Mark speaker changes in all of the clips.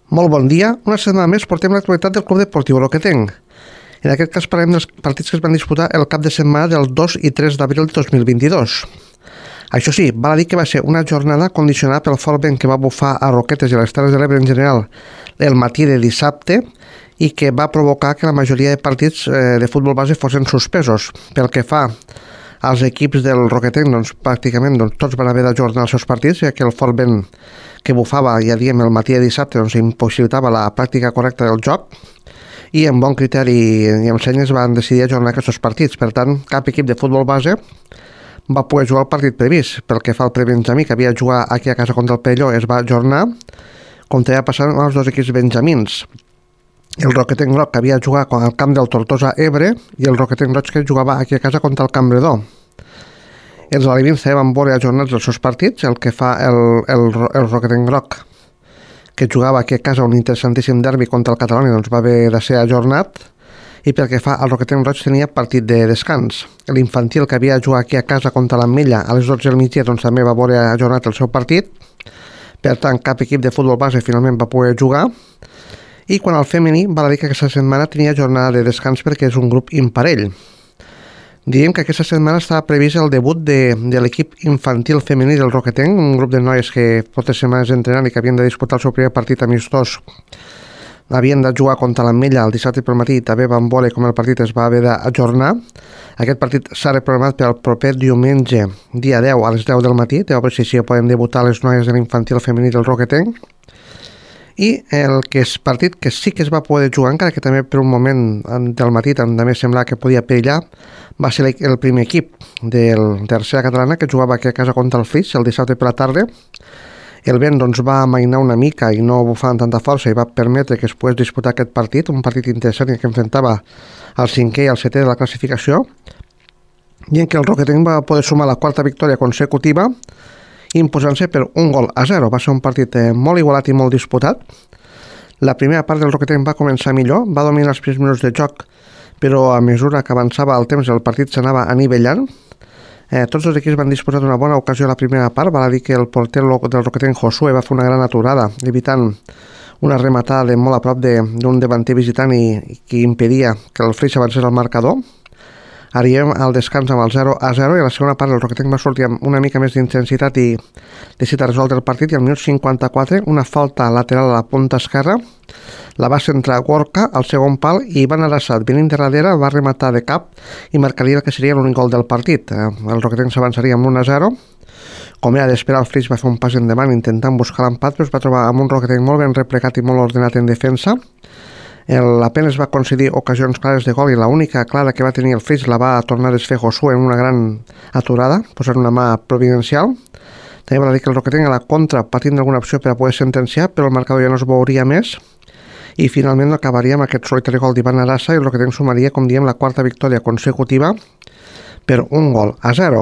Speaker 1: Molt bon dia. Una setmana més portem l'actualitat del Club Deportiu Roquetenc. En aquest cas parlem dels partits que es van disputar el cap de setmana del 2 i 3 d'abril de 2022. Això sí, val a dir que va ser una jornada condicionada pel fort vent que va bufar a Roquetes i a les Terres de l'Ebre en general el matí de dissabte i que va provocar que la majoria de partits de futbol base fossin suspesos. Pel que fa als equips del Roquetenc, pràcticament tots van haver d'ajornar els seus partits, ja que el fort vent que bufava, ja diem, el matí de dissabte impossibilitava la pràctica correcta del joc i amb bon criteri i amb senyes van decidir ajornar aquests partits. Per tant, cap equip de futbol base va poder jugar el partit previst. Pel que fa al prebenjamí, que havia de jugar aquí a casa contra el Perelló, es va ajornar, com també va passar amb els dos equips benjamins. El Roquetenc Groc, que havia de jugar al camp del Tortosa Ebre, i el Roquetenc Roig, que jugava aquí a casa contra el Campredó. Els alevins també van veure ajornats els seus partits. El que fa el Roquetenc Groc, que jugava aquí a casa un interessantíssim derbi contra el Catalunya, va haver de ser ajornat. I pel que fa al Roquetenc Roig, tenia partit de descans. L'infantil, que havia de jugar aquí a casa contra l'Ametlla a les 12 del migdia, també va veure ajornat el seu partit. Per tant, cap equip de futbol base finalment va poder jugar. I quan al femení, val a dir que aquesta setmana tenia jornada de descans perquè és un grup imparell. Diem que aquesta setmana estava previst el debut de l'equip infantil femení del Roquetenc, un grup de noies que portes setmanes entrenant i que havien de disputar el seu primer partit amistós. Havien de jugar contra l'Ametlla el dissabte pel matí i també van veure com el partit es va haver d'ajornar. Aquest partit s'ha reprogramat pel proper diumenge, dia 10 a les 10 del matí. A veure si així poden debutar les noies de l'infantil femení del Roquetenc. I el que és partit que sí que es va poder jugar, encara que també per un moment del matí també semblava que podia perillar, va ser el primer equip de tercera catalana que jugava aquí a casa contra el Flix el dissabte per la tarda. El vent va amainar una mica i no bufava amb tanta força i va permetre que es pogués disputar aquest partit, un partit interessant que enfrontava el 5è i el 7è de la classificació, i en què el Roquetenc va poder sumar la quarta victòria consecutiva imposant-se per 1-0. Va ser un partit molt igualat i molt disputat. La primera part del Roquetenc va començar millor, va dominar els primers minuts de joc, però a mesura que avançava el temps el partit s'anava anivellant. Tots els equips van disposar d'una bona ocasió a la primera part. Val a dir que el porter del Roquetenc, Josué, va fer una gran aturada, evitant una rematada de molt a prop d'un davanter visitant i que impedia que el Flix avancés al marcador. Arribem al descans amb el 0-0 i a la segona part el Roquetenc va sortir amb una mica més d'intensitat i decidit resoldre el partit, i al minut 54 una falta lateral a la punta esquerra la va centrar Gorka al segon pal i Ivan Arasat, venint de darrere, va rematar de cap i marcaria el que seria l'únic gol del partit. El Roquetenc s'avançaria amb 1-0. Com era d'esperar, el Flix va fer un pas endavant intentant buscar l'empat, però es va trobar amb un Roquetenc molt ben replegat i molt ordenat en defensa. Apenas va concedir ocasions clares de gol i l'única clara que va tenir el Flix la va tornar a desfer Josué en una gran aturada, posant una mà providencial. També va dir que el Roquetenc a la contra patint d'alguna opció per a poder sentenciar, però el marcador ja no es veuria més i finalment acabaria amb aquest solitari gol d'Ivan Arasa i el Roquetenc sumaria, com diem, la quarta victòria consecutiva per 1-0.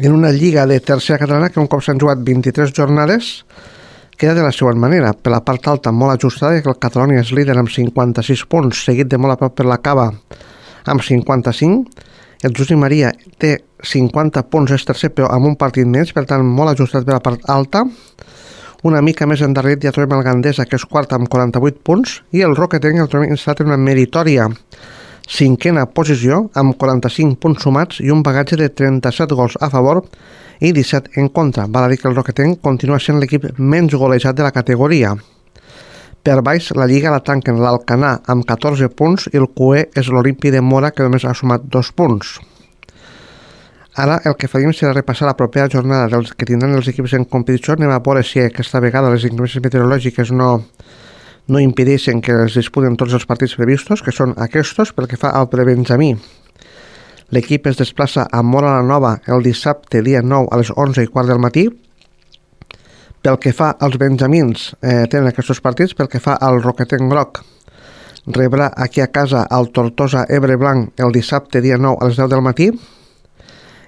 Speaker 1: En una lliga de tercera catalana que un cop s'han jugat 23 jornades queda de la següent manera. Per la part alta molt ajustada, que el Catalunya és líder amb 56 punts, seguit de molt a prop per la Cava amb 55. El Josep Maria té 50 punts, és tercer, però amb un partit més, per tant molt ajustat per la part alta. Una mica més endarrerit ja trobem el Gandesa, que és quart amb 48 punts, i el Roquetenc el trobem instal·lat en una meritòria cinquena posició amb 45 punts sumats i un bagatge de 37 gols a favor i 17 en contra. Val a dir que el Roquetenc continua sent l'equip menys golejat de la categoria. Per baix, la Lliga la tanquen l'Alcanar amb 14 punts i el QE és l'Olimpi de Mora, que només ha sumat 2 punts. Ara el que faríem serà repassar la propera jornada dels que tindran els equips en competició. Anem a veure si aquesta vegada les inclemències meteorològiques no impedeixen que es disputen tots els partits previstos, que són aquests. Pel que fa al prebenjamí, l'equip es desplaça a Móra la Nova el dissabte, dia 9, a les 11:15 del matí. Pel que fa als benjamins, tenen aquests partits. Pel que fa al Roquetenc Groc, rebrà aquí a casa el Tortosa Ebre Blanc el dissabte, dia 9, a les 10 del matí.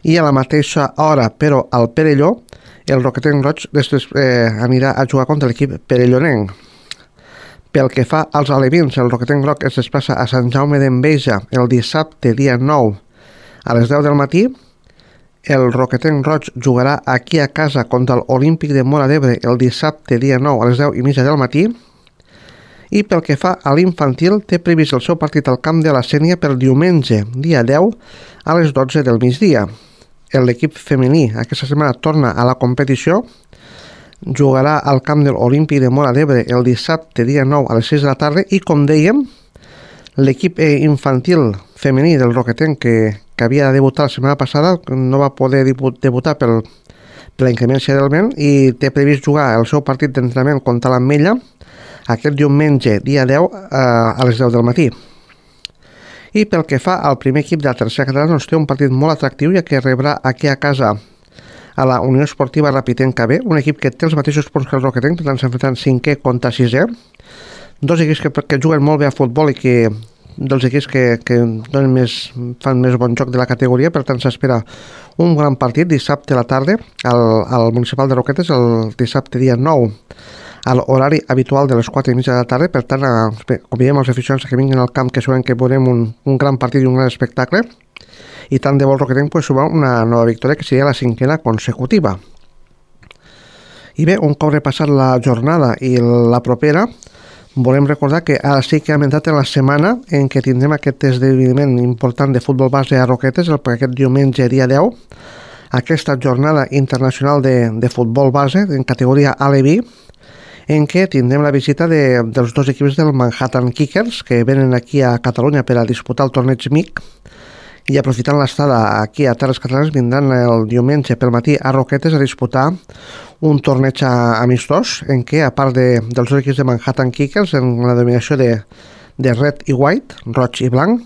Speaker 1: I a la mateixa hora, però al Perelló, el Roquetenc Roig anirà a jugar contra l'equip perellonenc. Pel que fa als alevins, el Roquetenc Groc es desplaça a Sant Jaume d'Enveja el dissabte, dia 9, a les 10 del matí. El Roquetenc Roig jugarà aquí a casa contra l'Olímpic de Móra d'Ebre el dissabte, dia 9, a les 10:30 del matí. I pel que fa a l'infantil, té previst el seu partit al camp de la Sénia per diumenge, dia 10, a les 12 del migdia. L'equip femení aquesta setmana torna a la competició, jugarà al camp de l'Olímpic de Móra d'Ebre el dissabte, dia 9, a les 6 de la tarda, i com dèiem, l'equip infantil femení del Roquetenc, que havia de debutar la setmana passada, no va poder debutar per la inclemència del vent i té previst jugar el seu partit d'entrenament contra l'Ametlla aquest diumenge, dia 10, a les 10 del matí. I pel que fa al primer equip de la tercera catalana, doncs té un partit molt atractiu, ja que rebrà aquí a casa a la Unió Esportiva Rapitenca B, un equip que té els mateixos punts que el Roquetenc, per tant s'enfronten 5è contra 6è. Dos equips que juguen molt bé a futbol i que dels equips que fan més bon joc de la categoria, per tant s'espera un gran partit dissabte a la tarda al Municipal de Roquetes, el dissabte dia 9, a l'horari habitual de les 4:30 de la tarda. Per tant, convidem els aficionats que vinguin al camp, que sabem que veurem un gran partit i un gran espectacle, i tant de bo el Roquetenc pot sumar una nova victòria, que seria la 5ª consecutiva. I bé, un cop repassat la jornada i la propera, volem recordar que ara sí que hem entrat en la setmana en què tindrem aquest esdeveniment important de futbol base a Roquetes, aquest diumenge, dia 10, aquesta jornada internacional de futbol base en categoria A-B, en què tindrem la visita dels dos equips del Manhattan Kickers, que venen aquí a Catalunya per a disputar el torneig MIC, i aprofitant l'estada aquí a Terres Catalanes vindran el diumenge pel matí a Roquetes a disputar un torneig amistós en què, a part dels dos equips de Manhattan Kickers en la dominació de red i white, roig i blanc,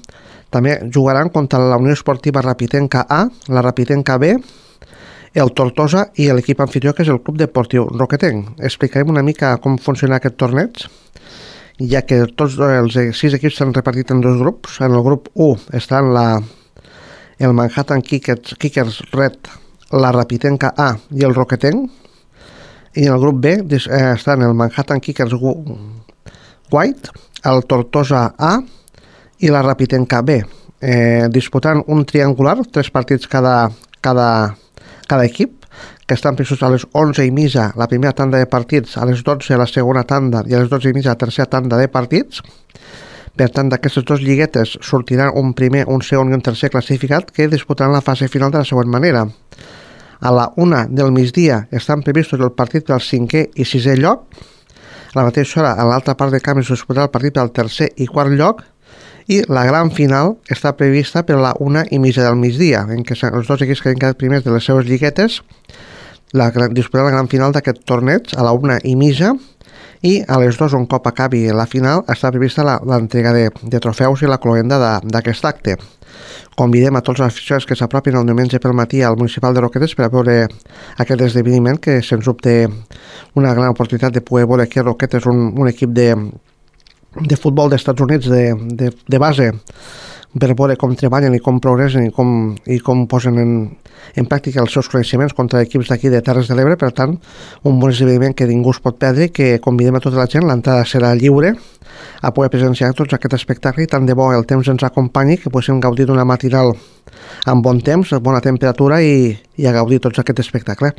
Speaker 1: també jugaran contra la Unió Esportiva Rapitenca A, la Rapitenca B, el Tortosa i l'equip anfitrió, que és el Club Deportiu Roquetenc. Explicarem una mica com funciona aquest torneig, ja que tots els 6 equips s'han repartit en 2 grups. En el grup 1 estan el Manhattan Kickers Red, la Rapitenca A i el Roquetenc, i en el grup B estan el Manhattan Kickers White, el Tortosa A i la Rapitenca B, disputant un triangular, 3 partits cada equip, que estan previstos a les 11:30 la primera tanda de partits, a les 12 la segona tanda i a les 12:30 la tercera tanda de partits. Per tant, d'aquestes 2 lliguetes sortiran un primer, un segon i un tercer classificat que disputaran la fase final de la següent manera. A la 1 del migdia estan previstos el partit pel 5è i 6è lloc. A la mateixa hora, a l'altra part de camp es disputarà el partit pel 3è i 4è lloc, i la gran final està prevista per la 1:30 del migdia, en què els 2 equips que han quedat primers de les seves lliguetes disputaran la gran final d'aquest torneig a la 1:30, i a les 2, un cop acabi la final, està prevista l'entrega de trofeus i la cloenda d'aquest acte. Convidem a tots els aficionats que s'apropin el diumenge pel matí al Municipal de Roquetes per a veure aquest esdeveniment, que sens dubte una gran oportunitat de poder veure que Roquetes és un equip de futbol dels Estats Units de base, per veure com treballen i com progressen i com posen en pràctica els seus coneixements contra equips d'aquí de Terres de l'Ebre. Per tant, un bon esdeveniment que ningú es pot perdre, que convidem a tota la gent, l'entrada serà lliure, a poder presenciar tots aquest espectacle, i tant de bo el temps ens acompanyi, que poguéssim gaudir d'una matinal amb bon temps, bona temperatura i a gaudir tots aquest espectacle.